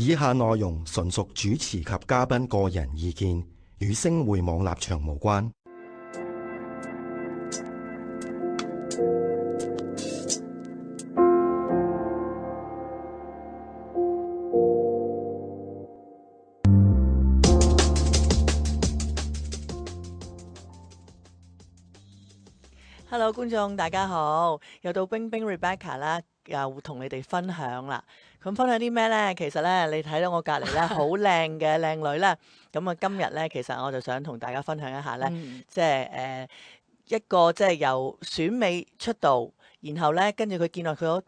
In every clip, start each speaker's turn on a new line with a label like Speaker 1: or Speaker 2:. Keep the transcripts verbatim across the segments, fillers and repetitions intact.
Speaker 1: 以下內容純屬主持及嘉賓個人意見，與星匯網立場無關。
Speaker 2: Hello， 觀眾大家好，又到冰冰 Rebecca 啦，又同你哋分享啦。咁分享啲咩呢？其實咧，你睇到我隔離咧好靚嘅靚女啦。咁啊，今日咧，其實我就想同大家分享一下咧，嗯、即係誒、呃、一個即係由選美出道，然後咧跟住佢見到佢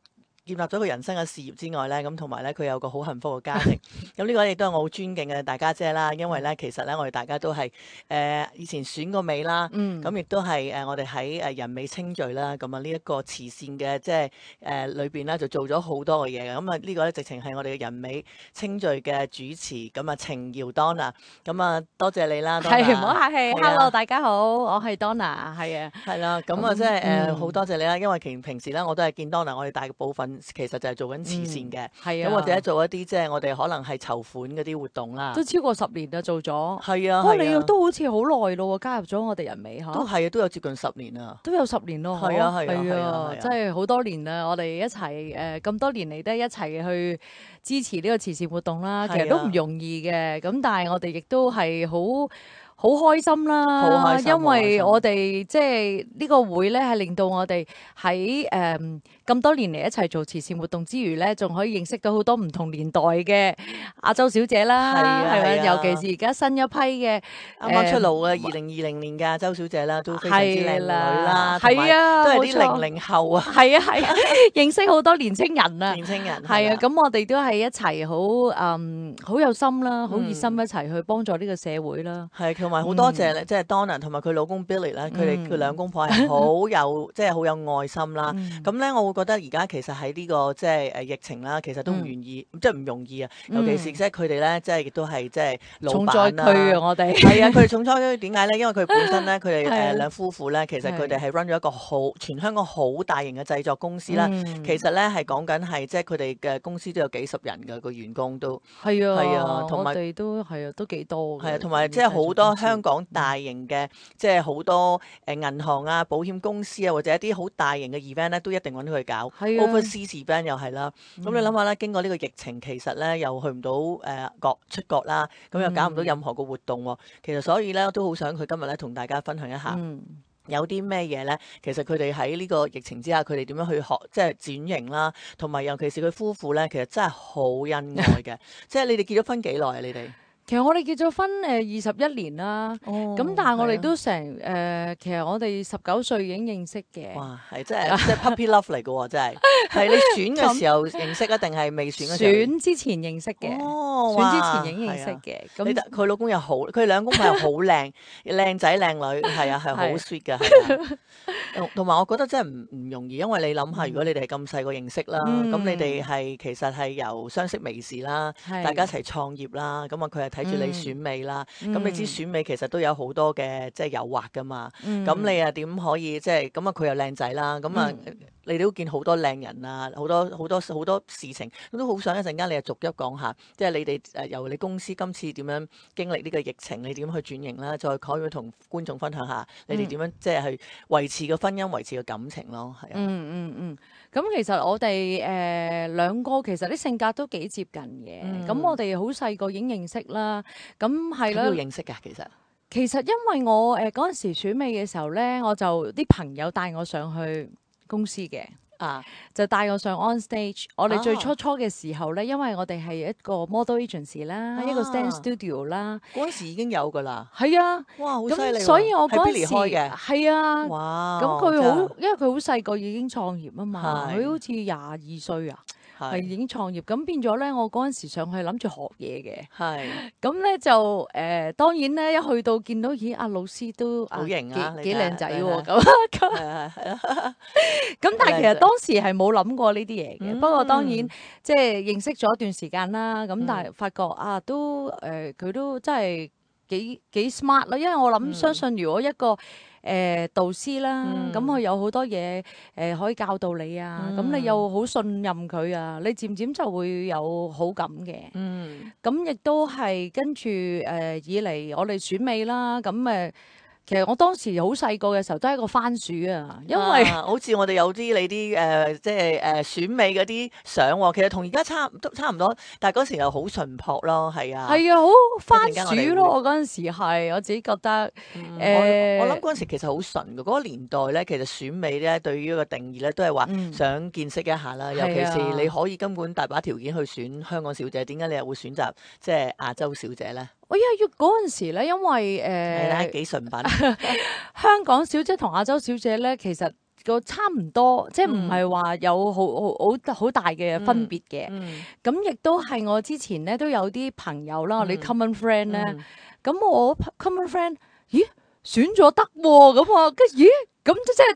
Speaker 2: 建立咗佢人生嘅事業之外咧，咁同埋咧佢有個好幸福嘅家庭。咁呢個亦都係我好尊敬嘅大家姐啦，因為咧其實咧我哋大家都係誒、呃、以前選過美啦，咁亦、嗯、都係誒、呃、我哋喺誒人美清聚啦，咁啊呢一個慈善嘅即係誒裏邊咧就做咗好多嘅嘢嘅。咁啊呢個咧直情係我哋嘅人美清聚嘅主持，咁啊程瑤 Donna，咁啊多謝你啦。
Speaker 3: 係唔好客氣。啊、Hello， 大家好，我係 Donna， 係啊，
Speaker 2: 係啦，咁啊即係誒好多謝你啦，因為其實平時咧我都係見 Donna， 我哋大部分。其實就係做緊慈善嘅，咁、嗯啊、或者做一啲即係我哋可能係籌款嗰啲活動啦。
Speaker 3: 都超過十年啦，做咗。
Speaker 2: 係啊，
Speaker 3: 不過你都好似好耐咯，加入咗我哋人美嚇。
Speaker 2: 都係啊，都有接近十年啊。
Speaker 3: 都有十年咯。
Speaker 2: 係啊，係啊，係啊，
Speaker 3: 啊，真係好多年啦！我哋一齊誒咁多年嚟都一齊去支持呢個慈善活動啦。其實都唔容易嘅，咁但係我哋亦都係好。好開心啦，好開心，因為我哋即係呢個會咧，係令到我哋喺誒咁多年嚟一齊做慈善活動之餘咧，仲可以認識到好多唔同年代嘅亞洲小姐啦，係咪？尤其是而家新一批嘅
Speaker 2: 啱啱出爐嘅二零二零年嘅亞洲小姐啦，都非常之靚女啦，
Speaker 3: 係啊，
Speaker 2: 都係啲零零後啊，
Speaker 3: 係啊係啊，認識好多年青人啊，
Speaker 2: 年青人
Speaker 3: 係啊，咁我哋都係一齊好誒好有心啦，好熱心一齊去幫助呢個社會啦，
Speaker 2: 係。同埋好多謝咧，即係 Donna 同埋佢老公 Billy 咧，佢哋佢兩公婆係好有即係好有愛心啦。咁咧，我會覺得而家其實喺呢個即係誒疫情啦，其實都唔願意，即係唔容易啊。尤其是即係佢哋咧，即係亦都係即係老闆啦。重災區啊！我哋係啊，佢哋重災區點解咧？因為佢本身咧，佢哋誒兩夫婦咧，其實佢哋係 run 咗一個好全香港好大型嘅製作公司啦。其實咧係講緊係即係佢哋嘅公司都有幾十人嘅個員工都
Speaker 3: 係啊，
Speaker 2: 係啊，同埋
Speaker 3: 我哋都係啊，都幾多
Speaker 2: 係啊，同埋即係好多。香港大型嘅即係好多誒銀行啊、保險公司啊，或者一啲好大型嘅 event 咧，都一定揾佢搞。Overseas event 又係啦。咁、嗯、你諗下咧，經過呢個疫情，其實咧又去唔到誒國出國啦，咁又搞唔到任何個活動喎。嗯、其實所以咧，都好想佢今日咧同大家分享一下，嗯、有啲咩嘢咧？其實佢哋喺呢個疫情之下，佢哋點樣去學即係轉型啦，同埋尤其是佢夫婦咧，其實真係好恩愛嘅。即係你哋結咗婚幾耐啊？你哋？
Speaker 3: 其實我哋結咗婚誒二十一年啦，咁、哦、但係我哋都成誒、呃，其實我哋十九歲已經認識嘅。
Speaker 2: 哇，係真係即係 puppy love 嚟嘅喎，真係。係你選嘅時候認識啊，定係未選嘅時候？
Speaker 3: 選之前認識嘅。哦，選之前已經認識嘅。咁
Speaker 2: 佢、啊、老公又好，佢兩公婆又好靚，靚仔靚女，係啊，係好 sweet 嘅。係同埋我覺得真係唔唔容易，因為你諗下，如果你哋係咁細個認識啦，咁、嗯、你哋係其實係由相識微時啦，嗯、大家一齊創業啦，咁啊佢係睇住你選美啦，咁、嗯、你知選美其實都有好多嘅即係誘惑噶嘛，咁、嗯、你又點可以即係咁啊？佢又靚仔啦，咁啊、嗯、你都見好多靚人啊，好多好多好多事情，咁都好想一陣間你又逐一講下，即係你哋誒由你公司今次點樣經歷呢個疫情，你點去轉型啦，再可以同觀眾分享下你哋點樣即係去維持個婚姻、維持個感情咯，係啊。
Speaker 3: 嗯嗯嗯。咁其實我哋誒兩個其實啲性格都幾接近嘅，咁、嗯、我哋好細個已經認識啦，咁係啦。
Speaker 2: 點樣認識㗎？其實
Speaker 3: 其實因為我誒嗰陣時選美嘅時候咧，我就啲朋友帶我上去公司嘅。啊！就帶我上 on stage。我哋最初初嘅時候咧，啊、因為我哋係一個 model agency 啦，啊、一個 stand studio 啦。
Speaker 2: 嗰陣時已經有㗎啦。
Speaker 3: 係啊！哇，好犀利！所以我嗰陣時係啊。哇！咁佢好，因為佢好細個已經創業啊嘛，佢好似廿二歲啊。係已經創業，咁變咗咧，我嗰陣時上去諗住學嘢嘅。係是，咁咧就誒、呃，當然咧一去到見到咦，阿老師都
Speaker 2: 好型啊，
Speaker 3: 幾靚仔喎，咁咁。係啊係啊。咁但係其實當時係冇諗過呢啲嘢嘅，嗯、不過當然即係認識咗一段時間啦。咁但係發覺啊，都誒佢、呃、都真係幾幾 smart 啦，因為我諗、嗯、相信如果一個誒導師啦，咁佢、
Speaker 2: 嗯、
Speaker 3: 有好多嘢誒、呃、可以教導你啊，咁、嗯、你又好信任佢啊，你漸漸就會有好感嘅。
Speaker 2: 嗯，
Speaker 3: 咁亦都係跟住誒、呃、以嚟我哋選美啦，咁誒。其實我當時好細個嘅時候都係一個番薯啊，因為、
Speaker 2: 啊、好似我哋有啲你啲誒、呃、即係誒、呃、選美嗰啲相喎，其實同而家差都差唔多，但係嗰時又好淳樸咯，係啊，
Speaker 3: 係啊，好番薯咯，我嗰陣時係我自己覺得誒、
Speaker 2: 嗯
Speaker 3: 呃，
Speaker 2: 我我諗嗰陣時其實好純嘅，嗰、那個年代咧，其實選美咧對於一個定義咧都係話想見識一下啦，嗯、尤其是你可以根本大把條件去選香港小姐，點解你又會選擇即係亞洲小姐咧？
Speaker 3: 我因為嗰陣時咧，因為誒
Speaker 2: 係啦，幾純品。
Speaker 3: 香港小姐同亞洲小姐咧，其實個差唔多，即係唔係話有好好好好大嘅分別嘅。咁亦都係我之前咧都有啲朋友啦，我哋 common friend 咧，咁、嗯、我 common friend，咦選咗得喎，咁啊，跟住咦。咁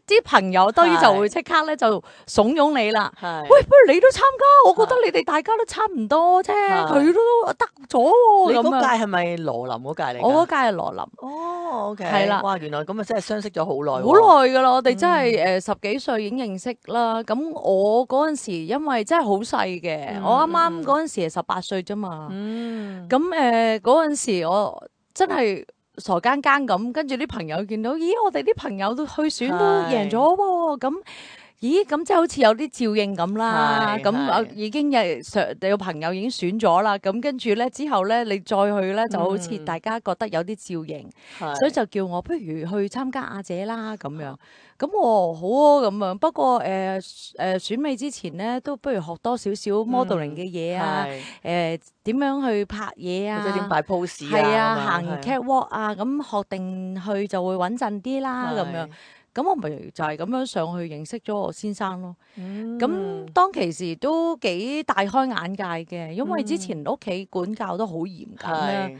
Speaker 3: 即係啲朋友當然就會即刻咧就慫恿你啦。喂，不如你都參加，我覺得你哋大家都差唔多啫，佢都得咗喎。
Speaker 2: 你嗰屆係咪羅琳嗰屆嚟？
Speaker 3: 我嗰屆係羅琳。
Speaker 2: 哦，OK。
Speaker 3: 係啦。
Speaker 2: 哇，原來咁啊，真係相識咗好耐。
Speaker 3: 好耐㗎啦，我哋真係誒十幾歲已經認識啦。咁我嗰陣時因為真係好細嘅，我啱啱嗰陣時係十八歲啫嘛。嗯。咁誒嗰陣時我真係。傻更更咁，跟住啲朋友見到，咦，我哋啲朋友都去選都贏咗喎，咁，咦，咁即係好似有啲照應咁啦，咁啊已經有上有朋友已經選咗啦，咁跟住咧之後咧，你再去咧就好似大家覺得有啲照應，嗯、所以就叫我不如去參加亞姐啦咁樣。咁我好啊咁樣，不過誒誒、呃呃、選美之前咧，都不如學多少少 modeling 嘅嘢啊，誒點樣去拍嘢啊，
Speaker 2: 或者點擺 pose 啊，
Speaker 3: 係啊，行 catwalk 啊，咁學定去就會穩陣啲啦咁樣。咁我咪就係咁樣上去認識咗我先生咯。咁、嗯、當其時都幾大開眼界嘅，因為之前屋企管教都好嚴謹啦。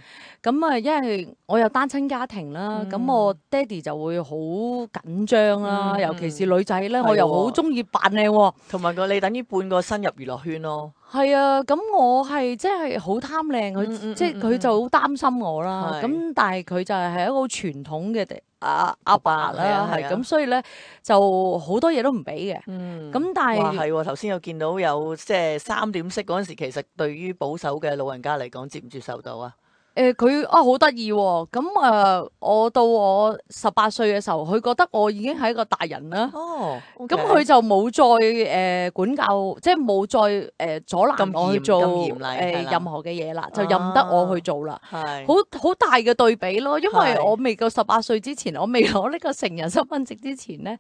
Speaker 3: 咁啊，因為我有單親家庭啦，咁、嗯、我爹哋就會好緊張啦，嗯、尤其是女仔咧，嗯、我又好中意扮靚喎。同埋個你等於半個新入娛樂圈咯。係啊，咁我係即係好貪靚，佢、嗯嗯、即係佢就好擔心我啦。咁、嗯、但係佢就係係一個好傳統嘅阿阿爸啦，係咁，所以咧就好多嘢都唔俾嘅。咁、嗯、但係
Speaker 2: 係頭先有見到有即係三點式嗰陣時，其實對於保守嘅老人家嚟講，接唔接受到啊？
Speaker 3: 誒佢啊好得意喎，咁誒、呃、我到我十八歲嘅時候，佢覺得我已經係一個大人啦。哦，咁、okay. 佢就冇再誒、呃、管教，即係冇再誒、呃、阻攔我去做誒、呃、任何嘅嘢啦，就任得我去做啦。係好好大嘅對比咯，因為我未夠十八歲之前，我未攞呢個成人身份證之前咧，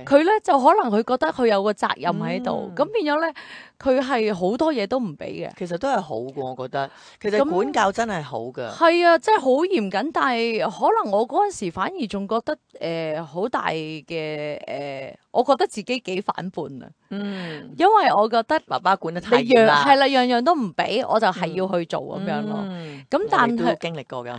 Speaker 3: 佢咧就可能佢覺得佢有個責任喺度，咁、嗯、變咗咧佢係好多嘢都唔俾嘅。
Speaker 2: 其實都係好嘅，我覺得。其實管教真係好。
Speaker 3: 係啊，真係好嚴謹，但係可能我嗰陣時反而仲覺得誒好、呃、大嘅誒、呃，我覺得自己幾反叛啊。嗯，因為我覺得
Speaker 2: 爸爸管得太嚴啦，
Speaker 3: 係啦，樣樣都唔俾，我就係要去做咁、嗯、樣咯。咁、嗯、但係
Speaker 2: 都經歷過嘅，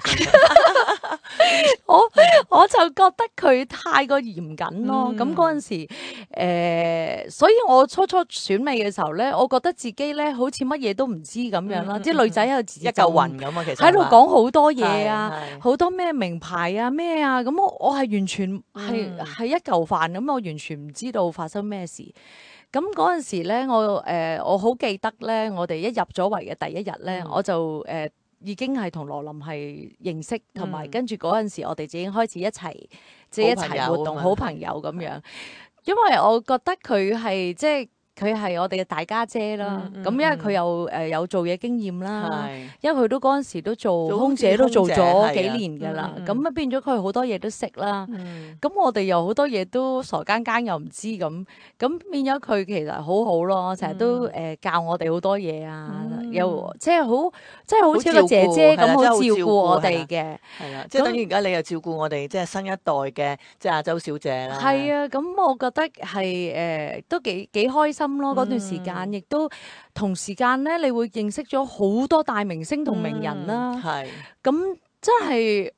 Speaker 3: 我我就覺得佢太過嚴謹咯。咁嗰陣時誒、呃，所以我初初選美嘅時候咧，我覺得自己咧好似乜嘢都唔知咁樣啦。啲、嗯、女仔喺度自
Speaker 2: 一嚿雲咁啊，其實
Speaker 3: 喺度講好多嘢啊，好多咩名牌啊咩啊，咁我我係完全係係、嗯、一嚿飯咁，我完全唔知道發生咩事。咁嗰陣時咧，我誒、呃、我好記得咧，我哋一入咗圍嘅第一日咧，嗯、我就誒、呃、已經係同羅琳係認識，同埋、嗯、跟住嗰陣時，我哋已經開始一齊即係一齊活動，好朋友咁樣。嗯、因為我覺得佢係即係。佢係我哋嘅大家姐啦，咁、嗯嗯、因為佢又誒有做嘢經驗啦，是因為佢都嗰陣時都做空姐都做咗幾年㗎啦，咁啊、嗯、變咗佢好多嘢都識啦。咁、嗯、我哋又好多嘢都傻更更又唔知咁，咁變咗佢其實好好咯，成日都誒教我哋好多嘢啊，嗯、又即係好即係好似個姐姐咁好照顧我哋嘅。係啦，
Speaker 2: 即係等於而家你又照顧我哋即係新一代嘅即係亞洲小姐啦。
Speaker 3: 係啊，咁我覺得係誒、呃、都幾幾開心。嗰段時間，亦都同時間咧，你會認識咗好多大明星同名人啦。係咁、嗯，真係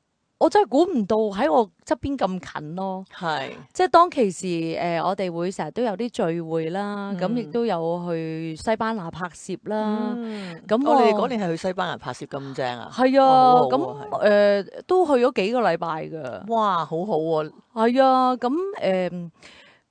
Speaker 3: 我真係估唔到喺我側邊咁近咯。
Speaker 2: 係，
Speaker 3: 即係當其時誒、呃，我哋會成日都有啲聚會啦，咁亦、
Speaker 2: 嗯
Speaker 3: 都有去西班牙拍攝啦。
Speaker 2: 嗯，
Speaker 3: 咁
Speaker 2: 我哋
Speaker 3: 我
Speaker 2: 嗰年係去西班牙拍攝咁正啊！
Speaker 3: 係啊，
Speaker 2: 哦好好
Speaker 3: 咁
Speaker 2: 喎係
Speaker 3: 誒、呃都去咗幾個禮拜㗎。
Speaker 2: 哇，好好喎！
Speaker 3: 係啊，咁誒，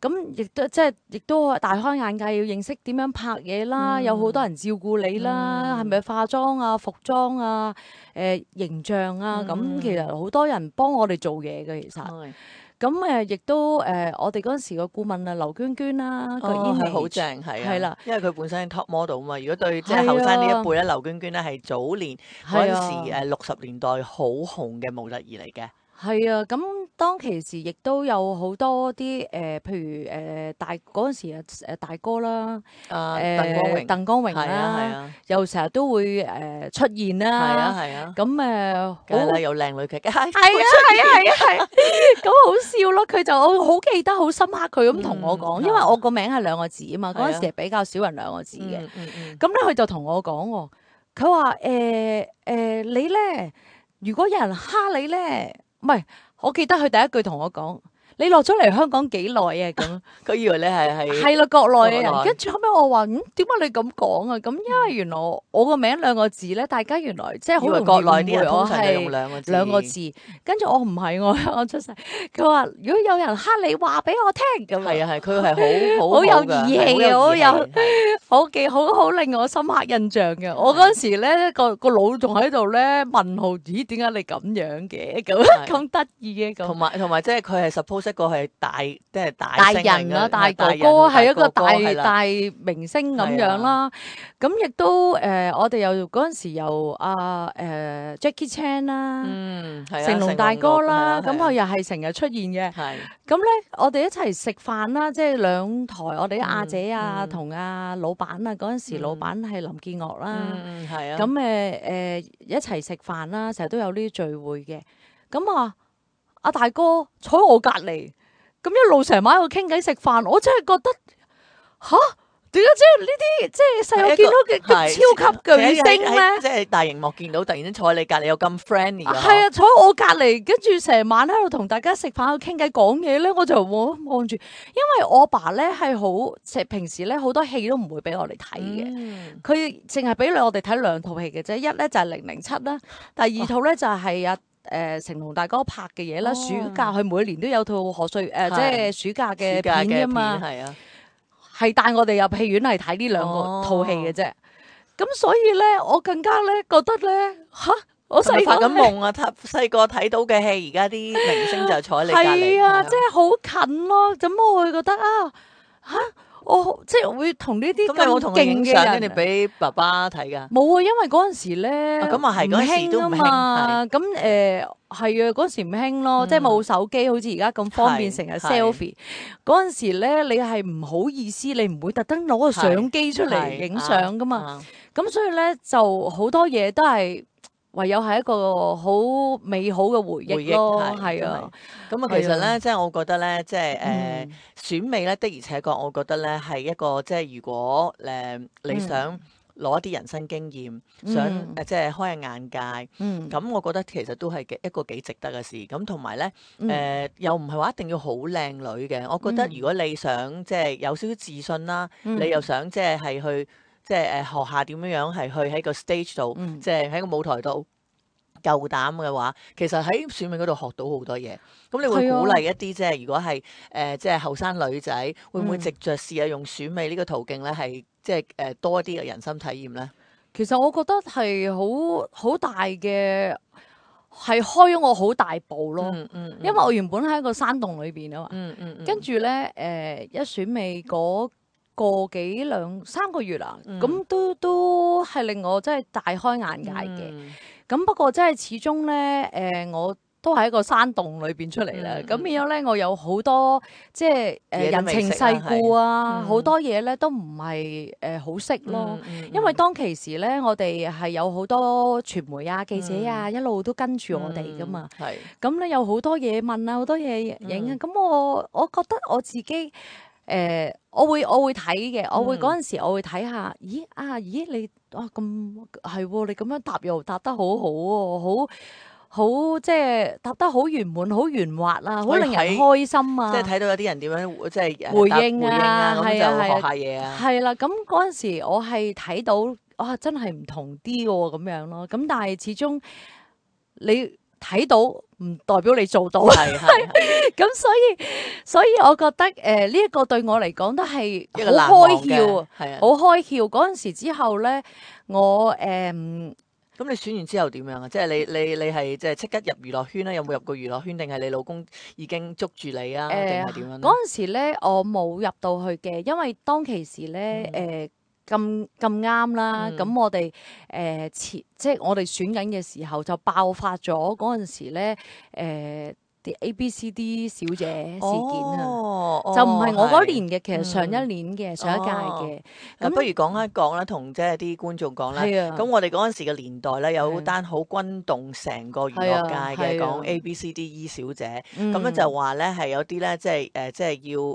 Speaker 3: 咁亦都即係亦都大開眼界，要認識點樣拍嘢啦，
Speaker 2: 嗯
Speaker 3: 有好多人照顧你啦，係咪、化妝啊、服裝啊、誒、形象啊，咁、
Speaker 2: 嗯
Speaker 3: 其實好多人幫我哋做嘢嘅，其實。
Speaker 2: 係
Speaker 3: 咁誒，亦都誒、我哋嗰陣時個顧問啊，劉娟娟啦，個
Speaker 2: 哦，係好
Speaker 3: image
Speaker 2: 正，係啊，
Speaker 3: 係啦，
Speaker 2: 因為佢本身係 top model 啊嘛。如果對即
Speaker 3: 係啊
Speaker 2: 係後生呢一輩咧，劉娟娟咧係早年嗰陣
Speaker 3: 係啊
Speaker 2: 時誒六十年代好紅嘅模特兒嚟嘅。
Speaker 3: 係啊，咁當其時亦都有好多啲誒、呃譬如誒、呃大嗰陣時啊誒大哥啦，
Speaker 2: 啊，
Speaker 3: 誒
Speaker 2: 鄧光榮，
Speaker 3: 鄧光榮
Speaker 2: 係啊係
Speaker 3: 啦，
Speaker 2: 啊，
Speaker 3: 又成日都會誒、呃出現
Speaker 2: 係
Speaker 3: 啦，
Speaker 2: 啊係啊，
Speaker 3: 咁誒
Speaker 2: 梗係啦，
Speaker 3: 好
Speaker 2: 有靚女劇嘅，係
Speaker 3: 係啊係啊係啊係啊，咁好笑咯！佢就我好記得好深刻，佢咁同我講，
Speaker 2: 嗯
Speaker 3: 因為我個名係兩個字啊嘛，
Speaker 2: 係啊
Speaker 3: 嗰陣時係比較少人兩個字嘅。
Speaker 2: 嗯嗯嗯，
Speaker 3: 咁咧佢就同我講喎，佢話誒誒你咧，如果有人蝦你咧，唔係，我記得佢第一句同我講，你落咗嚟香港幾耐啊？咁
Speaker 2: 佢以為你係係
Speaker 3: 係啦，國內嘅人。
Speaker 2: 國內
Speaker 3: 跟住後尾我話，嗯，點解你咁講啊？咁因為原來我我個名兩個字咧，大家原來即係好容易
Speaker 2: 以為國內啲
Speaker 3: 誤會我
Speaker 2: 人通常就用
Speaker 3: 係
Speaker 2: 兩個字，
Speaker 3: 兩個字。跟住我唔係我香港出世，佢話如果有人蝦你，話俾我聽咁
Speaker 2: 係啊係，佢係好好
Speaker 3: 好有
Speaker 2: 㗎
Speaker 3: 義氣嘅
Speaker 2: 好
Speaker 3: 好有
Speaker 2: 義氣係
Speaker 3: 好記好好令我深刻印象嘅。我嗰陣時咧個個腦仲喺度咧問號，咦點解你咁樣嘅咁
Speaker 2: 係
Speaker 3: 咁得意嘅咁？
Speaker 2: 同埋同埋即係佢係 suppose 一個係大即係大
Speaker 3: 大
Speaker 2: 星嚟
Speaker 3: 人啦，
Speaker 2: 嘅
Speaker 3: 大哥
Speaker 2: 人
Speaker 3: 哥係一個大
Speaker 2: 哥哥係啦
Speaker 3: 大明星咁樣啦。咁亦都誒，我哋又嗰陣時又阿誒 Jackie Chan 啦，
Speaker 2: 嗯係啊，
Speaker 3: 成龍大哥啦，咁
Speaker 2: 成龍
Speaker 3: 佢又係成日出現嘅。
Speaker 2: 係
Speaker 3: 咁咧，我哋一齊食飯啦，即係兩台，我哋啲阿姐啊，
Speaker 2: 嗯
Speaker 3: 同阿老闆啊，嗰陣時老闆係林建岳啦。
Speaker 2: 嗯嗯係啊，
Speaker 3: 咁誒誒一齊食飯啦，成日都有呢啲聚會嘅。咁啊，阿大哥坐喺我隔離，咁一路成晚喺度傾偈食飯，我真係覺得吓，點解即係呢啲即係細個見到嘅嘅超級巨星咧？
Speaker 2: 即係大熒幕見到，突然間坐喺你隔離有咁 friendly 嘅，
Speaker 3: 係啊，坐喺我隔離，跟住成晚喺度同大家食飯、喺度傾偈、講嘢咧，我就望望住，因為我爸咧係好，即係平時咧好多戲都唔會俾我哋睇嘅。
Speaker 2: 嗯
Speaker 3: 佢淨係俾我哋睇兩套戲嘅啫，一咧就係零零七啦，第二套咧就係阿誒成龍大哥拍嘅嘢啦。
Speaker 2: 哦
Speaker 3: 暑假佢每年都有套賀歲誒，即係暑假嘅
Speaker 2: 暑假嘅
Speaker 3: 片㗎嘛，
Speaker 2: 係啊，
Speaker 3: 係帶我哋入戲院係睇呢兩個
Speaker 2: 哦
Speaker 3: 套戲嘅啫。咁所以咧，我更加咧覺得咧吓，我
Speaker 2: 係咪發
Speaker 3: 細個呢
Speaker 2: 緊夢啊！睇細個睇到嘅戲，而家啲明星就坐喺你隔離，
Speaker 3: 係啊，即係好近咯。咁我會覺得啊吓，我即係會同呢啲
Speaker 2: 咁你有冇同佢
Speaker 3: 咁勁
Speaker 2: 影相，
Speaker 3: 嘅人
Speaker 2: 跟住俾爸爸睇㗎？
Speaker 3: 冇啊，因為嗰陣時咧，
Speaker 2: 啊咁啊係嗰陣時都唔興
Speaker 3: 嘛。咁誒係啊，嗰陣時唔興咯，
Speaker 2: 嗯
Speaker 3: 即係冇手機，好似而家咁方便，
Speaker 2: 係
Speaker 3: 成日
Speaker 2: 係
Speaker 3: selfie。嗰陣時咧，你係唔好意思，你唔會特登攞個相機出嚟
Speaker 2: 係
Speaker 3: 影相噶嘛。
Speaker 2: 啊
Speaker 3: 咁所以咧，就好多嘢都係唯有係一個好美好嘅回
Speaker 2: 回憶
Speaker 3: 憶咯，
Speaker 2: 係
Speaker 3: 係啊。
Speaker 2: 咁啊，其實
Speaker 3: 係啊
Speaker 2: 咧，即係我覺得咧，即係誒
Speaker 3: 嗯
Speaker 2: 選美咧，的而且確，我覺得咧係一個即係如果誒你想攞一啲人生經驗，想
Speaker 3: 嗯
Speaker 2: 誒即係開下眼界，
Speaker 3: 嗯
Speaker 2: 咁我覺得其實都係幾一個幾值得嘅事。咁同埋咧
Speaker 3: 嗯
Speaker 2: 誒，又唔係話一定要好靚女嘅。我覺得
Speaker 3: 嗯
Speaker 2: 如果你想即係有少少自信啦，
Speaker 3: 嗯
Speaker 2: 你又想即係係去即係誒學下點樣樣係去喺個 stage 度，
Speaker 3: 嗯
Speaker 2: 即係喺個舞台度。夠膽嘅話，其實喺選美嗰度學到好多嘢。咁你會
Speaker 3: 係啊
Speaker 2: 鼓勵一啲即係如果係誒、呃、即係後生女仔，會唔會
Speaker 3: 嗯
Speaker 2: 藉着試下用選美呢個途徑咧，係即係誒、呃、多一啲嘅人生體驗咧？
Speaker 3: 其實我覺得係好好大嘅，係開咗我好大步咯。
Speaker 2: 嗯嗯，
Speaker 3: 因為我原本喺一個山洞裏邊啊嘛，
Speaker 2: 嗯嗯嗯
Speaker 3: 跟住咧誒一選美嗰個幾兩三個月啦，
Speaker 2: 嗯
Speaker 3: 咁、都都係令我真係大開眼界嘅。
Speaker 2: 嗯
Speaker 3: 咁、不過真係始終咧誒我都喺一個山洞裏邊出嚟啦，
Speaker 2: 嗯
Speaker 3: 咁、變咗咧我有好多即係誒、呃
Speaker 2: 嘢都
Speaker 3: 人情世
Speaker 2: 未識啦
Speaker 3: 故啊，
Speaker 2: 係
Speaker 3: 好、多嘢咧都唔係誒好識咯。
Speaker 2: 嗯嗯
Speaker 3: 因為當其時咧，我哋係有好多傳媒啊、記者啊，
Speaker 2: 嗯
Speaker 3: 一路都跟住我哋噶嘛。
Speaker 2: 係
Speaker 3: 咁咧有好多嘢問啊，好多嘢影啊。咁、我我覺得我自己誒、呃我會我會睇嘅，我會
Speaker 2: 嗯
Speaker 3: 嗰陣時我會睇下，咦啊，咦你啊咁係喎，你咁樣答又答得好好喎，好好即係答得好圓滿、好圓滑啊，好
Speaker 2: 可以
Speaker 3: 令人
Speaker 2: 睇
Speaker 3: 開心啊！
Speaker 2: 即係睇到有啲人點樣即係誒
Speaker 3: 回
Speaker 2: 答
Speaker 3: 應啊，
Speaker 2: 啊，咁
Speaker 3: 係啊，
Speaker 2: 就學
Speaker 3: 係啊，
Speaker 2: 下嘢啊。
Speaker 3: 係啦。咁嗰陣時我係睇到啊，真係唔同啲喎咁樣咯。咁但係始終你睇到唔代表你做到，
Speaker 2: 係係係
Speaker 3: 咁所以所以我覺得誒呢一個對我嚟講都係
Speaker 2: 一個難
Speaker 3: 好開
Speaker 2: 忘嘅
Speaker 3: 竅，
Speaker 2: 係啊。
Speaker 3: 好開竅。嗰陣時之後咧，我誒。
Speaker 2: 咁你選完之後點樣啊？即係你你你係即係即刻入娛樂圈咧？有冇入過娛樂圈？定係你老公已經捉住你啊？定係點樣咧？
Speaker 3: 嗰陣時咧，我冇入到去嘅，因為當其時咧，誒咁咁啱啦。
Speaker 2: 嗯
Speaker 3: 咁我哋誒前即係我哋選緊嘅時候就爆發咗嗰陣時咧，誒啲 A B C D 小姐事件啊，
Speaker 2: 哦
Speaker 3: 就唔係我嗰年
Speaker 2: 嘅。
Speaker 3: 嘅，其實上一年嘅，上一屆嘅。
Speaker 2: 咁不如講一講啦，同即係啲觀眾講啦。
Speaker 3: 係啊
Speaker 2: 咁我哋嗰陣時嘅年代咧，有
Speaker 3: 係
Speaker 2: 單好轟動成個娛樂界嘅，
Speaker 3: 係啊係啊
Speaker 2: 講 A B C D E 小姐。
Speaker 3: 嗯
Speaker 2: 咁咧就話咧係有啲咧即係誒即係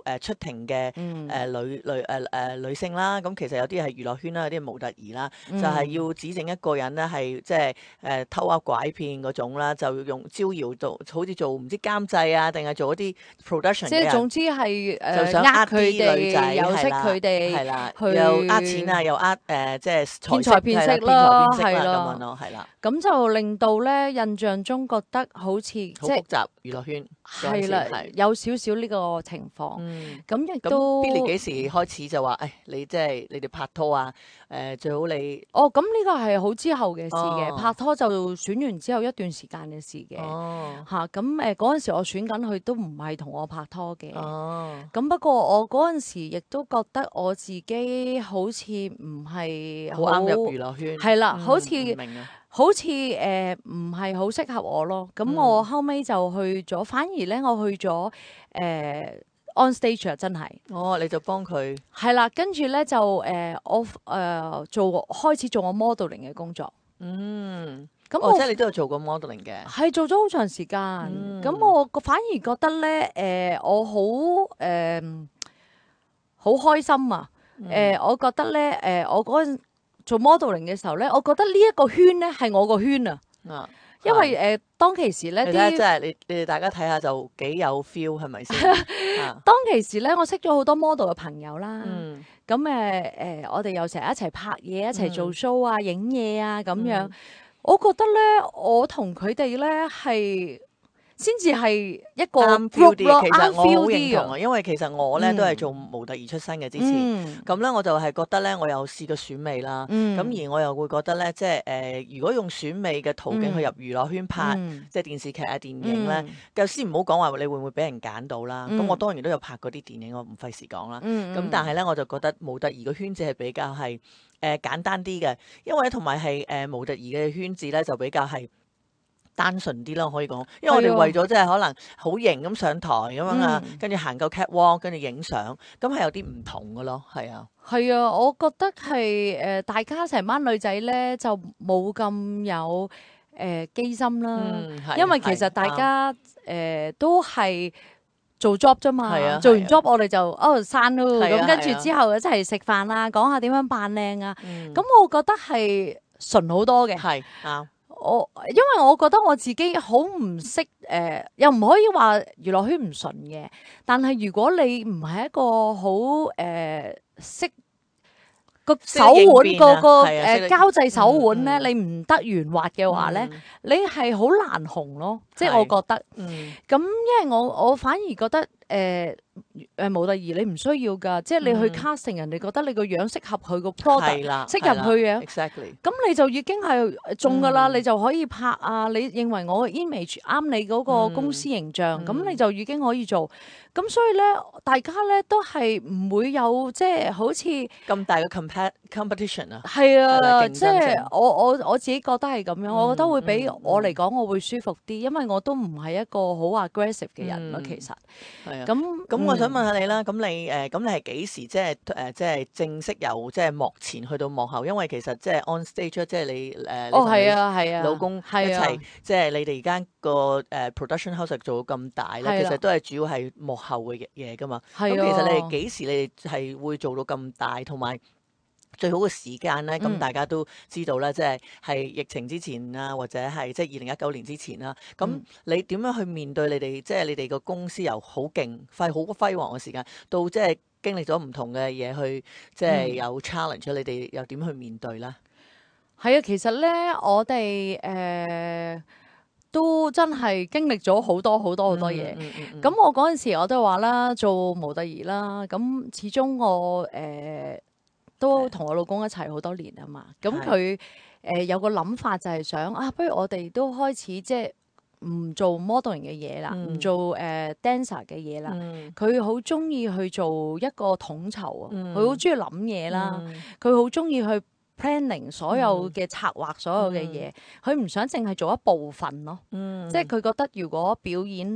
Speaker 2: 要誒出庭嘅
Speaker 3: 嗯
Speaker 2: 誒女女誒誒女性啦。咁其實有啲係娛樂圈啦，有啲係模特兒啦，
Speaker 3: 嗯
Speaker 2: 就係要指證一個人咧係即係誒偷呃拐騙嗰種啦，就用招搖到好似做唔知監製啊，定係做一啲 production 嘅人。
Speaker 3: 即係總之係誒
Speaker 2: 就想
Speaker 3: 呃
Speaker 2: 呃
Speaker 3: 佢
Speaker 2: 啲女仔，
Speaker 3: 哋，又識
Speaker 2: 係啦
Speaker 3: 佢哋，
Speaker 2: 係啦，
Speaker 3: 去
Speaker 2: 又呃錢啊，又呃誒，即係
Speaker 3: 騙財騙色
Speaker 2: 係啦
Speaker 3: 啦
Speaker 2: 騙財騙色啦
Speaker 3: 係啦
Speaker 2: 咁樣咯，係啦，
Speaker 3: 咁就令到咧印象中覺得好似即係
Speaker 2: 好複雜娛樂圈嗰陣時
Speaker 3: 係啦，
Speaker 2: 係
Speaker 3: 有少少呢個情況。
Speaker 2: 嗯。
Speaker 3: 咁亦
Speaker 2: 咁
Speaker 3: 都
Speaker 2: Billy 幾時開始就話誒你即係你哋拍拖啊？誒最好你
Speaker 3: 哦，咁呢個係好之後嘅事嘅，
Speaker 2: 哦
Speaker 3: 拍拖就選完之後一段時間嘅事嘅。
Speaker 2: 哦
Speaker 3: 嚇咁誒嗰陣時我選緊佢都唔係同我拍拖嘅。
Speaker 2: 哦
Speaker 3: 咁不過我嗰陣時亦都覺得我自己好似唔係
Speaker 2: 好啱入娛樂圈
Speaker 3: 係啦，
Speaker 2: 嗯
Speaker 3: 好似
Speaker 2: 唔明啊
Speaker 3: 好似誒唔係好適合我咯。咁
Speaker 2: 嗯
Speaker 3: 我後尾就去咗，反而咧我去咗誒、呃 on stage 啊，真係
Speaker 2: 哦你就幫佢
Speaker 3: 係啦。跟住咧就誒、呃、我誒、呃、做開始做我 modeling 嘅工作。
Speaker 2: 嗯
Speaker 3: 咁我
Speaker 2: 哦即係你都有做過 modeling 嘅
Speaker 3: 係做咗好長時間。
Speaker 2: 嗯
Speaker 3: 咁、我個反而覺得咧誒、呃、我好誒好開心啊！誒、
Speaker 2: 嗯
Speaker 3: 我覺得咧誒、呃我嗰陣做 modeling 嘅時候咧，我覺得呢一個圈咧係我個圈啊，
Speaker 2: 啊
Speaker 3: 因為誒、呃、當其時咧
Speaker 2: 你睇下，
Speaker 3: 啲
Speaker 2: 真係你你哋大家睇下就幾有 feel 係咪先？啊
Speaker 3: 當其時咧，我識咗好多 model 嘅朋友啦。
Speaker 2: 嗯
Speaker 3: 咁誒誒，我哋又成日一齊拍嘢，一齊做 show 啊、影嘢啊咁樣。
Speaker 2: 嗯
Speaker 3: 我覺得咧，我同佢哋咧係先至係一個
Speaker 2: 啱 feel
Speaker 3: group 咯，
Speaker 2: 啲，其實
Speaker 3: 啱
Speaker 2: 我好
Speaker 3: feel
Speaker 2: 認
Speaker 3: 啲啊。
Speaker 2: 同啊，因為其實我咧
Speaker 3: 嗯
Speaker 2: 都係做模特兒出身嘅之前，
Speaker 3: 嗯
Speaker 2: 咁咧我就係覺得咧，我有試過選美啦，
Speaker 3: 嗯
Speaker 2: 咁而我又會覺得咧，即係誒，如果用選美嘅途徑去入娛樂圈拍，
Speaker 3: 嗯
Speaker 2: 即係電視劇啊、電影咧
Speaker 3: 嗯，
Speaker 2: 就先唔好講話你會唔會俾人揀到啦。咁
Speaker 3: 嗯
Speaker 2: 我當然都有拍過啲電影，我唔費事講啦。
Speaker 3: 嗯
Speaker 2: 咁但係咧，我就覺得模特兒個圈子係比較係誒簡單啲嘅，因為同埋係誒模特兒嘅圈子咧就比較係單純啲咯，可以講，因為我哋
Speaker 3: 係啊
Speaker 2: 為咗即係可能好型咁上台咁樣啊，
Speaker 3: 嗯
Speaker 2: 跟住行夠 catwalk，跟住影相，咁係有啲唔同嘅咯，係啊，
Speaker 3: 係啊，我覺得係誒、呃大家成班女仔咧就冇咁有誒機心啦。
Speaker 2: 嗯，係
Speaker 3: 因為其實
Speaker 2: 係啱
Speaker 3: 大家誒、呃都係做 job 啫嘛，
Speaker 2: 係啊
Speaker 3: 做完
Speaker 2: 係啊
Speaker 3: job 我哋就哦散咯，
Speaker 2: 係啊
Speaker 3: 咁跟
Speaker 2: 係啊
Speaker 3: 住之後一齊食飯啊，講下點樣扮靚啊，
Speaker 2: 嗯
Speaker 3: 咁、我覺得係純好多嘅。
Speaker 2: 係啱，
Speaker 3: 我因為我覺得我自己好唔識誒，又唔可以話娛樂圈唔純嘅，但係如果你唔係一個好誒識個
Speaker 2: 識得應
Speaker 3: 手腕
Speaker 2: 變啊
Speaker 3: 個個誒
Speaker 2: 係啊識得
Speaker 3: 交際手腕咧，
Speaker 2: 嗯嗯
Speaker 3: 你唔得圓滑嘅話咧，
Speaker 2: 嗯
Speaker 3: 你係好難紅咯，即係
Speaker 2: 係
Speaker 3: 我覺得。
Speaker 2: 嗯
Speaker 3: 咁因為我我反而覺得誒誒模特兒你唔需要㗎，即係你去
Speaker 2: 嗯
Speaker 3: casting 人哋覺得你個樣適合佢個 product，
Speaker 2: 係啦，
Speaker 3: 適合佢嘅
Speaker 2: ，exactly，
Speaker 3: 咁你就已經係中㗎啦，
Speaker 2: 嗯
Speaker 3: 你就可以拍啊！你認為我嘅 image 啱你嗰個公司形象，咁、
Speaker 2: 嗯
Speaker 3: 你就已經可以做。咁所以咧，大家咧都係唔會有即係好似
Speaker 2: 咁大嘅 compat competition 啊，
Speaker 3: 係
Speaker 2: 係啦
Speaker 3: 啊，
Speaker 2: 競爭
Speaker 3: 即係
Speaker 2: 性
Speaker 3: 我我我自己覺得係咁樣，我覺得會比
Speaker 2: 嗯
Speaker 3: 我嚟講我會舒服啲，因為我都唔係一個好 aggressive 嘅人咯，
Speaker 2: 嗯
Speaker 3: 其實。
Speaker 2: 係啊。
Speaker 3: 咁
Speaker 2: 咁我想
Speaker 3: 嗯
Speaker 2: 問下你啦，咁你誒咁你係幾時即係誒即係正式由即係幕前去到幕後？因為其實即係 on stage 即係你誒你
Speaker 3: 哦，
Speaker 2: 同你
Speaker 3: 係啊，係啊，
Speaker 2: 老公一
Speaker 3: 係啊
Speaker 2: 齊，即係你哋而家個誒 production house 做到咁大咧，
Speaker 3: 係啦
Speaker 2: 其實都係主要係幕後嘅嘢噶嘛。咁
Speaker 3: 係
Speaker 2: 其實你哋
Speaker 3: 啊
Speaker 2: 幾時你哋係會做到咁大，同埋最好嘅時間咧，咁、
Speaker 3: 嗯
Speaker 2: 大家都知道啦，即係係疫情之前啊，或者係即係二零一九年之前啦。咁、
Speaker 3: 嗯
Speaker 2: 你點樣去面對你哋即係你哋個公司由好勁、輝好輝煌嘅時間，到即係經歷咗唔同嘅嘢去，即係有 challenge，你哋又點去面對咧？
Speaker 3: 係啊，其實咧，我哋誒、呃都真係經歷咗好多好多好多嘢。
Speaker 2: 嗯嗯嗯嗯
Speaker 3: 咁、我嗰陣時我都話啦，做模特兒啦，咁始終我誒、呃都同我老公一齊好多年啊嘛。咁佢誒有個諗法就係想啊，不如我哋都開始即係唔做 modeling 嘅嘢啦，唔、
Speaker 2: 嗯
Speaker 3: 做誒、呃、dancer 嘅嘢啦。
Speaker 2: 嗯
Speaker 3: 佢好中意去做一個統籌啊，
Speaker 2: 嗯
Speaker 3: 佢好中意諗嘢啦，
Speaker 2: 嗯
Speaker 3: 佢好中意去 planning 所有嘅策劃，所有嘅嘢，佢唔想淨係做一部分咯。
Speaker 2: 嗯
Speaker 3: 即係佢覺得如果表演，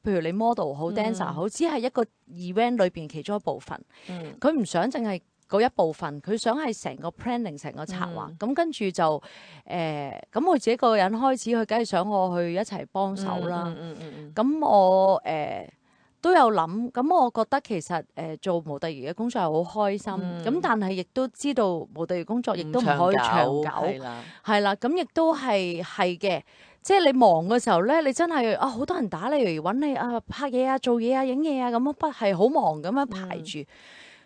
Speaker 3: 譬如你 model 好、
Speaker 2: 嗯
Speaker 3: dancer 好，只係一個 event 裏邊其中一部分，
Speaker 2: 嗯
Speaker 3: 佢唔想淨係嗰一部分，佢想係成個 planning 成個策劃。咁、跟住就誒，咁、我自己個人開始，佢梗係想我去一齊幫手啦。
Speaker 2: 嗯嗯嗯嗯
Speaker 3: 咁、我誒、呃都有諗，咁我覺得其實誒、呃做模特兒嘅工作係好開心，咁、
Speaker 2: 嗯
Speaker 3: 但係亦都知道模特兒工作亦
Speaker 2: 唔
Speaker 3: 都唔可以長久，
Speaker 2: 係啦，
Speaker 3: 係啦，咁亦都係係嘅。即係你忙嘅時候咧，你真係啊好多人打你嚟揾你啊拍嘢啊、做嘢啊、影嘢啊咁樣，不係好忙咁樣排住。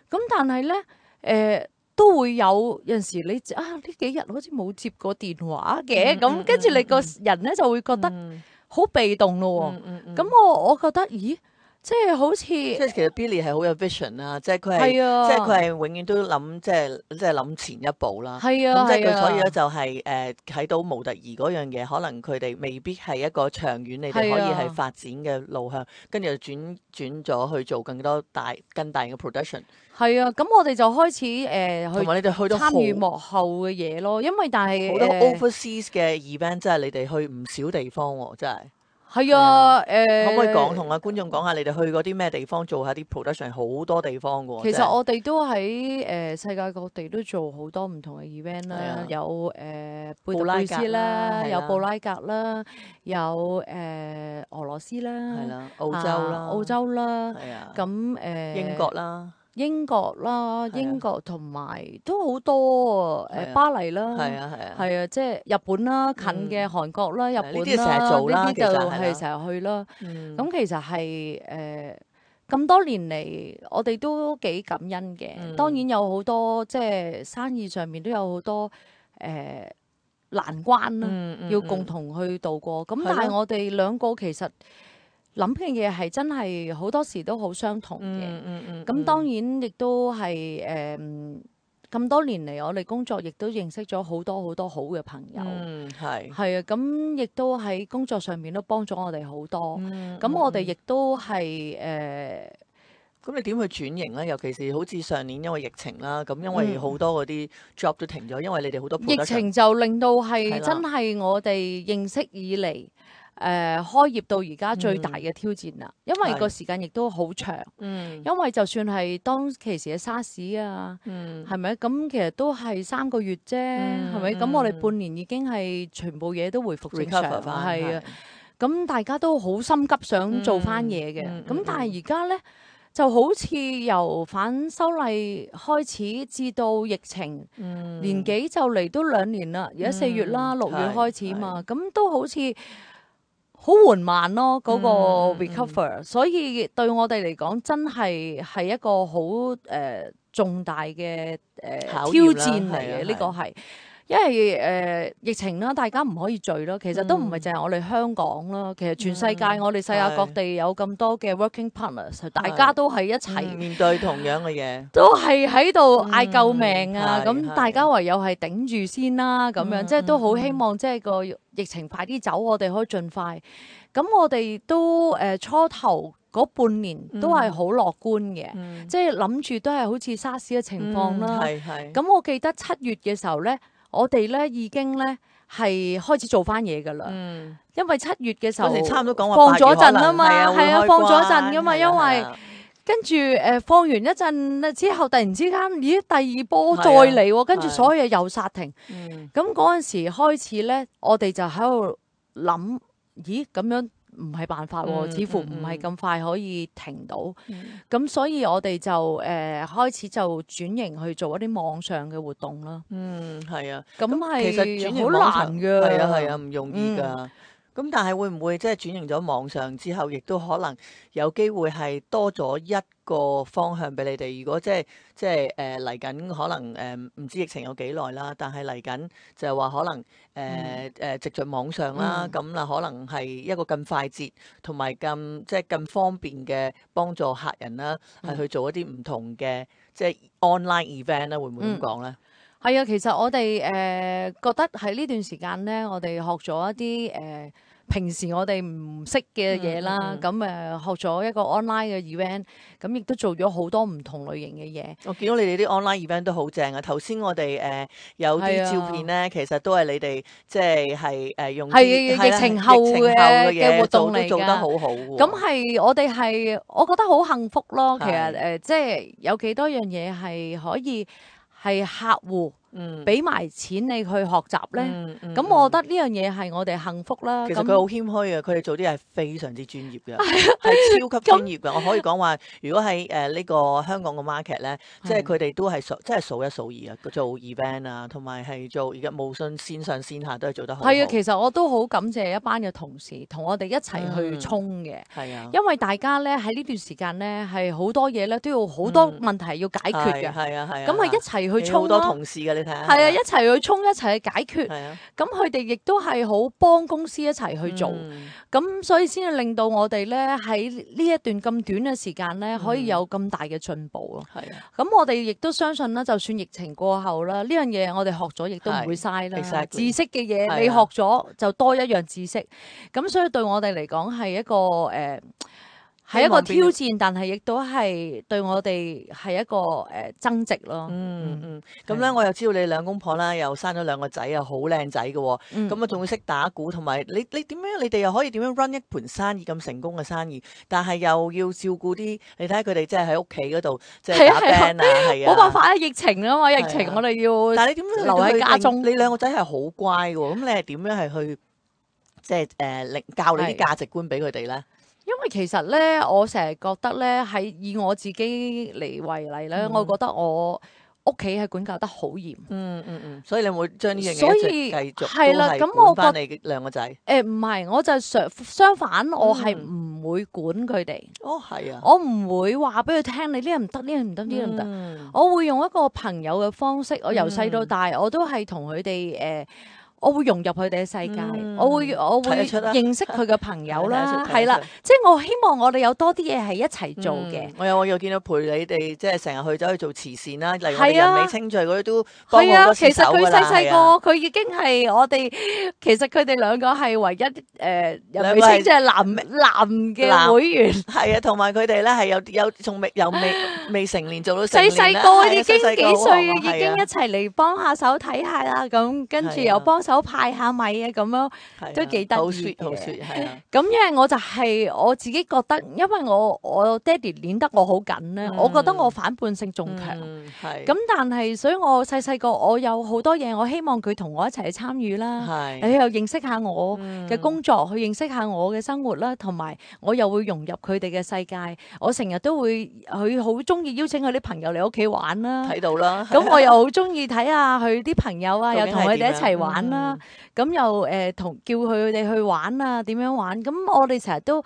Speaker 3: 咁、但係咧誒都會有有陣時你啊呢幾日好似冇接過電話嘅，咁、
Speaker 2: 嗯
Speaker 3: 跟住你個
Speaker 2: 嗯
Speaker 3: 人咧就會覺得
Speaker 2: 嗯
Speaker 3: 好被動咯喎。
Speaker 2: 嗯嗯嗯
Speaker 3: 咁、我我覺得咦，即係好似
Speaker 2: 即係其實 Billy 係好有 vision 啦，即係佢係
Speaker 3: 係啊，
Speaker 2: 即係佢係永遠都諗即係即係諗前一步啦。
Speaker 3: 係啊，
Speaker 2: 咁即係
Speaker 3: 係啊
Speaker 2: 佢所以咧就係誒睇到模特兒嗰樣嘢，可能佢哋未必係一個長遠你哋可以
Speaker 3: 係啊
Speaker 2: 係發展嘅路向，跟住就轉轉咗去做更多大更大嘅 production，
Speaker 3: 係啊，咁我哋就開始誒、
Speaker 2: 同
Speaker 3: 去
Speaker 2: 埋你哋去到好
Speaker 3: 參與幕後嘅嘢咯，因為但係
Speaker 2: 好多
Speaker 3: 誒
Speaker 2: overseas 嘅 event，即係你哋去唔少地方喎，真係。
Speaker 3: 係啊誒，
Speaker 2: 可唔可以講同啊觀眾講下你哋去過啲咩地方做下啲 production？好多地方嘅喎。真係
Speaker 3: 其實我哋都喺誒、呃世界各地都做好多唔同嘅 event 啦，
Speaker 2: 係啊
Speaker 3: 有誒、呃、貝特
Speaker 2: 布拉格
Speaker 3: 貝斯
Speaker 2: 啦
Speaker 3: 啦，
Speaker 2: 係啦
Speaker 3: 有布拉格啦，有誒、呃俄羅斯啦，
Speaker 2: 係啦，澳洲
Speaker 3: 啊
Speaker 2: 啦，
Speaker 3: 澳洲啦，
Speaker 2: 係啊，
Speaker 3: 咁誒、呃
Speaker 2: 英國啦，
Speaker 3: 英國啦，
Speaker 2: 係啊
Speaker 3: 英國同埋都好多誒、
Speaker 2: 係啊
Speaker 3: 巴黎啦，
Speaker 2: 係啊係啊，
Speaker 3: 係啊，即係日本啦，近嘅
Speaker 2: 嗯
Speaker 3: 韓國啦，日
Speaker 2: 係
Speaker 3: 本
Speaker 2: 呢啲成日
Speaker 3: 啦，
Speaker 2: 做啦
Speaker 3: 呢啲就
Speaker 2: 其實係啦
Speaker 3: 係成日去啦。
Speaker 2: 嗯
Speaker 3: 咁其實係誒咁多年嚟，我哋都幾感恩嘅。
Speaker 2: 嗯
Speaker 3: 當然有好多即係生意上面都有好多誒、呃、難關啦，
Speaker 2: 嗯嗯
Speaker 3: 要共同去度過。咁、
Speaker 2: 係
Speaker 3: 但係
Speaker 2: 咯
Speaker 3: 我哋兩個其實諗嘅嘢係真係好多時都好相同嘅。
Speaker 2: 嗯嗯嗯，
Speaker 3: 咁、當然亦都係誒咁多年嚟，我哋工作亦都認識咗好多好多好嘅朋友。
Speaker 2: 嗯係，
Speaker 3: 係啊，咁亦都喺工作上面都幫咗我哋好多。
Speaker 2: 嗯
Speaker 3: 咁、我哋
Speaker 2: 嗯
Speaker 3: 亦都係誒
Speaker 2: 咁你點去轉型咧？尤其是好似上年因為疫情啦，咁因為
Speaker 3: 嗯
Speaker 2: 好多嗰啲 job 都停咗，因為你哋好多
Speaker 3: 疫
Speaker 2: production
Speaker 3: 情就令到
Speaker 2: 係啦
Speaker 3: 係真係我哋認識以嚟誒、呃、開業到而家最大嘅挑戰啦。因為
Speaker 2: 係
Speaker 3: 個時間亦都好長，
Speaker 2: 嗯
Speaker 3: 因為就算係當其時嘅沙士啊，
Speaker 2: 嗯
Speaker 3: 係咪咁其實都係三個月啫，係咪？咁、
Speaker 2: 嗯
Speaker 3: 我哋半年已經係全部嘢都回復正常
Speaker 2: recover 翻
Speaker 3: 係啊。咁大家都好心急想做翻嘢嘅，咁、
Speaker 2: 嗯嗯嗯
Speaker 3: 但係而家咧就好似由反修例開始至到疫情、
Speaker 2: 嗯
Speaker 3: 年幾就嚟都兩年啦，而家四月啦，
Speaker 2: 嗯
Speaker 3: 六月
Speaker 2: 係
Speaker 3: 開始嘛，咁都好似好緩慢咯嗰、個
Speaker 2: 嗯嗯嗯
Speaker 3: recover，、所以對我哋嚟講真係係一個好誒、呃重大嘅誒、呃挑
Speaker 2: 考驗啦
Speaker 3: 戰嚟
Speaker 2: 係啊
Speaker 3: 嘅呢個係。因為誒、呃疫情啦，大家唔可以聚咯。其實都唔係
Speaker 2: 嗯
Speaker 3: 淨係我哋香港啦，其實全世界、
Speaker 2: 嗯
Speaker 3: 我哋世界各地有咁多嘅 working partners，大家都係一齊，
Speaker 2: 嗯面對同樣嘅嘢，
Speaker 3: 都係喺度嗌救命啊！咁、
Speaker 2: 嗯係係
Speaker 3: 大家唯有係頂住先啦，咁樣、
Speaker 2: 嗯
Speaker 3: 即係都好
Speaker 2: 嗯
Speaker 3: 希望即係個疫情快啲走，我哋可以盡快。咁我哋都誒、呃初頭嗰半年都係好樂觀嘅，
Speaker 2: 嗯
Speaker 3: 即係諗住都係好似沙士嘅情況啦。
Speaker 2: 係係
Speaker 3: 咁我記得七月嘅時候咧，我哋咧已經咧係開始做翻嘢噶啦，
Speaker 2: 嗯，
Speaker 3: 因為七月嘅時候
Speaker 2: 嗰時差唔多講話
Speaker 3: 放咗
Speaker 2: 八月可能
Speaker 3: 陣啊嘛，
Speaker 2: 係
Speaker 3: 係啊
Speaker 2: 會開
Speaker 3: 放咗
Speaker 2: 關
Speaker 3: 陣噶嘛，
Speaker 2: 係啊
Speaker 3: 因為
Speaker 2: 係啊
Speaker 3: 跟住誒、呃放完一陣之後，突然之間，咦第二波
Speaker 2: 係啊
Speaker 3: 再嚟喎，跟住
Speaker 2: 係
Speaker 3: 所有嘢又殺停。
Speaker 2: 嗯
Speaker 3: 咁嗰陣時開始咧，我哋就喺度諗，咦咁樣唔係辦法喎，
Speaker 2: 嗯
Speaker 3: 似乎唔
Speaker 2: 嗯
Speaker 3: 係咁快可以停到。咁、
Speaker 2: 嗯
Speaker 3: 所以我哋就誒、呃、開始就轉型去做一啲網上嘅活動啦。
Speaker 2: 嗯，係啊。
Speaker 3: 咁
Speaker 2: 其實轉型
Speaker 3: 係好
Speaker 2: 網上
Speaker 3: 難㗎。
Speaker 2: 係啊係啊，唔容易
Speaker 3: 嗯
Speaker 2: 㗎。咁但係會唔會即係轉型咗網上之後，亦都可能有機會係多咗一個方向俾你哋？如果即係即係誒嚟緊，可能誒唔知疫情有幾耐啦，但係嚟緊就係話可能誒誒藉著網上啦，
Speaker 3: 嗯
Speaker 2: 咁啦可能係一個更快捷同埋更即係更方便嘅幫助客人啦，係
Speaker 3: 嗯
Speaker 2: 去做一啲唔同嘅即係 online event 啦，會唔會咁講咧？
Speaker 3: 係啊，其實我哋誒、呃、覺得喺呢段時間咧，我哋學咗一啲誒、呃、平時我哋唔識嘅嘢啦，
Speaker 2: 嗯嗯嗯
Speaker 3: 咁誒、呃、學咗一個 online 嘅 event，咁亦都做咗好多唔同類型嘅嘢。
Speaker 2: 我見到你哋啲 online event 都好正啊！頭先我哋誒、呃、有
Speaker 3: 係啊
Speaker 2: 啲照片咧，其實都係你哋即係係誒用啲
Speaker 3: 係
Speaker 2: 係啦
Speaker 3: 疫情後
Speaker 2: 疫情後
Speaker 3: 嘅
Speaker 2: 嘢
Speaker 3: 嘅活動嚟
Speaker 2: 做都做得
Speaker 3: 㗎
Speaker 2: 好好喎。
Speaker 3: 咁係我哋係，我覺得好幸福咯。其實
Speaker 2: 係
Speaker 3: 誒、呃，即係有幾多樣嘢係可以係客戶
Speaker 2: 嗯
Speaker 3: 俾埋錢你去學習咧。
Speaker 2: 嗯嗯
Speaker 3: 咁、我覺得呢樣嘢係我哋幸福啦。咁
Speaker 2: 其實佢好謙虛啊！佢哋做啲係非常之專業嘅，係超級專業嘅。我可以講話，如果喺誒呢個香港嘅 market 咧，即係佢哋都係數，即係數一數二啊！做 event 啊，同埋係做而家無論線上線下都係做得好好。
Speaker 3: 係啊，其實我都好感謝一班嘅同事同我哋一齊去衝嘅。
Speaker 2: 係啊，
Speaker 3: 因為大家咧喺呢段時間咧係好多嘢咧都要好多問題要解決嘅。
Speaker 2: 係啊係啊。
Speaker 3: 咁係一齊去衝
Speaker 2: 好多
Speaker 3: 咯。
Speaker 2: 同事嘅，你睇下。
Speaker 3: 係啊，一齊去衝，一齊去解決。
Speaker 2: 係啊。
Speaker 3: 咁佢哋亦都係好幫公司一齊去做，
Speaker 2: 嗯
Speaker 3: 咁、所以先至令到我哋咧喺呢一段咁短嘅時間咧，可以有咁大嘅進步咯。
Speaker 2: 係啊。
Speaker 3: 咁我哋亦都相信啦，就算疫情過後啦，呢樣嘢我哋學咗亦都唔會嘥啦。
Speaker 2: Exactly
Speaker 3: 知識嘅嘢
Speaker 2: 係啊
Speaker 3: 你學咗就多一樣知識，咁所以對我哋嚟講係一個誒。呃係一個挑戰，但係亦都係對我哋係一個誒、呃、增值咯。
Speaker 2: 嗯嗯，咁咧我又知道你兩公婆啦，又生咗兩個仔啊，好靚仔嘅喎。咁啊仲要識打鼓，同埋你你點樣？你哋又可以點樣 run 一盤生意咁成功嘅生意？但係又要照顧啲，你睇下佢哋即係喺屋企嗰度即係打 band 啊，係啊。
Speaker 3: 冇辦法啊，疫情啊嘛，疫情我哋要。
Speaker 2: 但係你點樣
Speaker 3: 留喺家中？
Speaker 2: 你兩個仔係好乖嘅喎，咁你係點樣係去即係誒令教你啲價值觀俾佢哋咧？
Speaker 3: 因為其實咧，我成日覺得咧，喺以我自己嚟為例咧，
Speaker 2: 嗯、
Speaker 3: 我覺得我屋企係管教得好嚴。
Speaker 2: 嗯嗯嗯，所以你會將呢樣嘢
Speaker 3: 所以
Speaker 2: 繼續
Speaker 3: 係啦，咁我
Speaker 2: 翻你兩個仔。
Speaker 3: 誒唔係，我就相相反，我係
Speaker 2: 嗯
Speaker 3: 唔會管佢哋。
Speaker 2: 哦，係啊。
Speaker 3: 我唔會話俾佢聽，你呢樣唔得，呢樣唔得，呢樣唔得。
Speaker 2: 嗯、
Speaker 3: 我會用一個朋友嘅方式，我由細到大，我都係同佢哋誒。呃我會融入佢哋嘅世界，
Speaker 2: 嗯、
Speaker 3: 我會我會認識佢嘅朋友啦，係啦，即係我希望我哋有多啲嘢係一齊做嘅、嗯。
Speaker 2: 我有我又見到陪你哋，即係成日去走去做慈善啦，例如我哋人美清聚嗰啲都幫好多手㗎啦。
Speaker 3: 其實佢細細個，佢已經係我哋，其實佢哋兩個係唯一誒、呃、人美清即係男男嘅會員。
Speaker 2: 係啊，同埋佢哋咧係有有仲未有未未成年做到成
Speaker 3: 細細個已經
Speaker 2: 細
Speaker 3: 幾歲，已經
Speaker 2: 啊
Speaker 3: 一齊嚟幫下手睇下啦，咁跟住又幫手派下米啊，咁樣都幾得意嘅。
Speaker 2: 好 sweet，好 sweet，係啊。
Speaker 3: 咁因為我就係我自己覺得，因為我我爹哋捏得我好緊咧，
Speaker 2: 嗯、
Speaker 3: 我覺得我反叛性仲強。
Speaker 2: 係。
Speaker 3: 咁但係，所以我細細個我有好多嘢，我希望佢同我一齊去參與啦。
Speaker 2: 係。
Speaker 3: 你又認識下我嘅工作，去認識下我嘅生活啦，同埋我又會融入佢哋嘅世界。我成日都會，佢好中意邀請佢啲朋友嚟屋企玩啦。
Speaker 2: 睇到啦。
Speaker 3: 咁我又好中意睇下佢啲朋友啊，又同佢哋一齊玩啦。咁、嗯、又誒同、呃、叫佢哋去玩啊，點樣玩？咁我哋成日都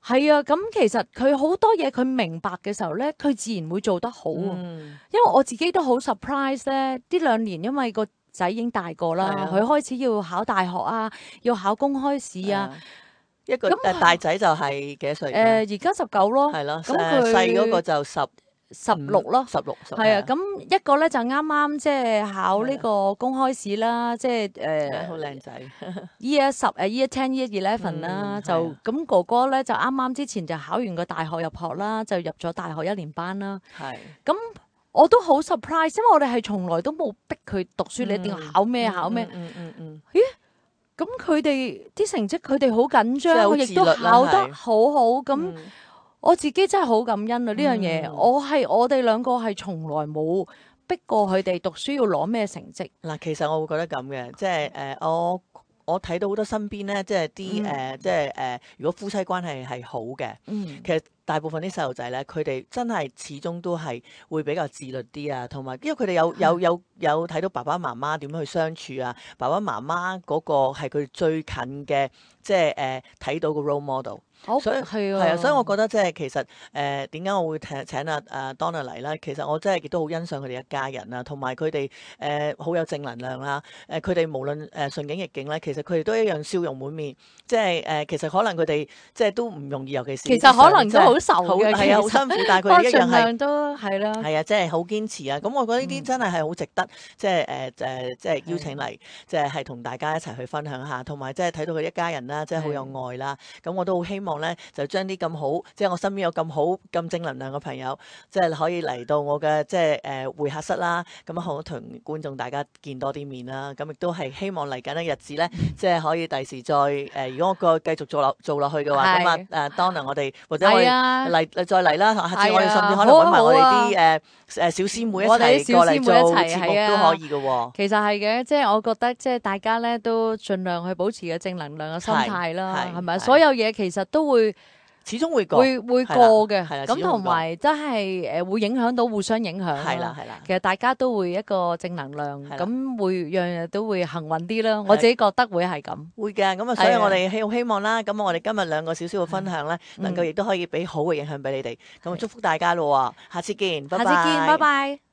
Speaker 3: 係啊。咁其實佢好多嘢佢明白嘅時候咧，佢自然會做得好。嗯、因為我自己都好 surprise 咧，呢兩年因為個仔已經大個啦，佢、啊、開始要考大學啊，要考公開試啊。
Speaker 2: 一個大仔就係幾多歲？誒
Speaker 3: 而家十九咯。
Speaker 2: 係咯。咁佢細嗰個就十。
Speaker 3: 十六咯，
Speaker 2: 十六，
Speaker 3: 係啊，咁一個咧就啱啱即係考呢個公開試啦，即係誒，
Speaker 2: 好靚仔
Speaker 3: ，year 十誒 year ten year eleven 啦，就咁哥哥咧就啱啱之前就考完個大學入學啦，就入咗大學一年班啦。
Speaker 2: 係，
Speaker 3: 咁我都好 surprise，因為我哋係從來都冇逼佢讀書，你一定要考咩考咩。
Speaker 2: 嗯嗯嗯。
Speaker 3: 咦？咁佢哋啲成績佢哋好緊張，佢亦都考得好好咁。我自己真係好感恩啊！呢樣嘢，我係我哋兩個係從來冇逼過佢哋讀書要攞咩成績。
Speaker 2: 嗱，其實我會覺得咁嘅，即係誒我。我睇到好多身邊咧，即係啲
Speaker 3: 嗯
Speaker 2: 誒，即係誒，如果夫妻關係係好嘅，
Speaker 3: 嗯
Speaker 2: 其實大部分啲細路仔咧，佢哋真係始終都係會比較自律啲啊，同埋因為佢哋有有有有睇到爸爸媽媽點樣去相處啊，爸爸媽媽嗰個係佢最近嘅，即係誒睇到個 role model。
Speaker 3: 好
Speaker 2: 所以
Speaker 3: 係
Speaker 2: 係啊，所以我覺得即係其實誒點解我會請請阿阿 Donna 嚟咧？其實我真係亦都好欣賞佢哋一家人啊，同埋佢哋誒好有正能量啦。誒佢哋無論誒順境逆境咧，其實佢哋都一樣笑容滿面。即係誒，其實可能佢哋即係都唔容易，尤其是
Speaker 3: 其實可能都好愁
Speaker 2: 好
Speaker 3: 嘅，
Speaker 2: 係啊，好
Speaker 3: 其實
Speaker 2: 辛苦，但係
Speaker 3: 不過
Speaker 2: 佢哋一樣係
Speaker 3: 盡量。都係啦。
Speaker 2: 係啊，即係好堅持啊！咁我覺得呢啲真係係好值得，即係誒誒，即係邀請嚟，即係係同大家一齊去分享下，同埋即係睇到佢一家人啦，即係好有愛啦。咁我都好希望咧，就將啲咁好，即係我身邊有咁好咁正能量嘅朋友，即係可以嚟到我嘅即係誒會客室啦。咁啊，好同觀眾大家見多啲面啦。咁亦都係希望嚟緊嘅日子咧，即係可以第時再誒，如果我個繼續做落做落去嘅話，咁啊誒 Donna 我哋或者我哋嚟再嚟啦，下次我哋甚至可能揾埋我哋啲誒誒小師妹一齊過嚟做節目都可以嘅喎。
Speaker 3: 其實係嘅，即係我覺得即係大家咧都盡量去保持個正能量嘅心態啦，係咪？所有嘢其實都會
Speaker 2: 始終會過，
Speaker 3: 會會過嘅。
Speaker 2: 係啦，
Speaker 3: 咁同埋真係誒會影響到互相影響。
Speaker 2: 係啦係啦。
Speaker 3: 其實大家都會一個正能量，咁會樣樣都會幸運啲啦。我自己覺得會係咁。
Speaker 2: 會嘅，咁啊，所以我哋希希望啦，咁我哋今日兩個少少嘅分享咧，能夠亦都可以俾好嘅影響俾你哋。咁啊，祝福大家咯，下次見，拜拜。
Speaker 3: 下次見，拜拜。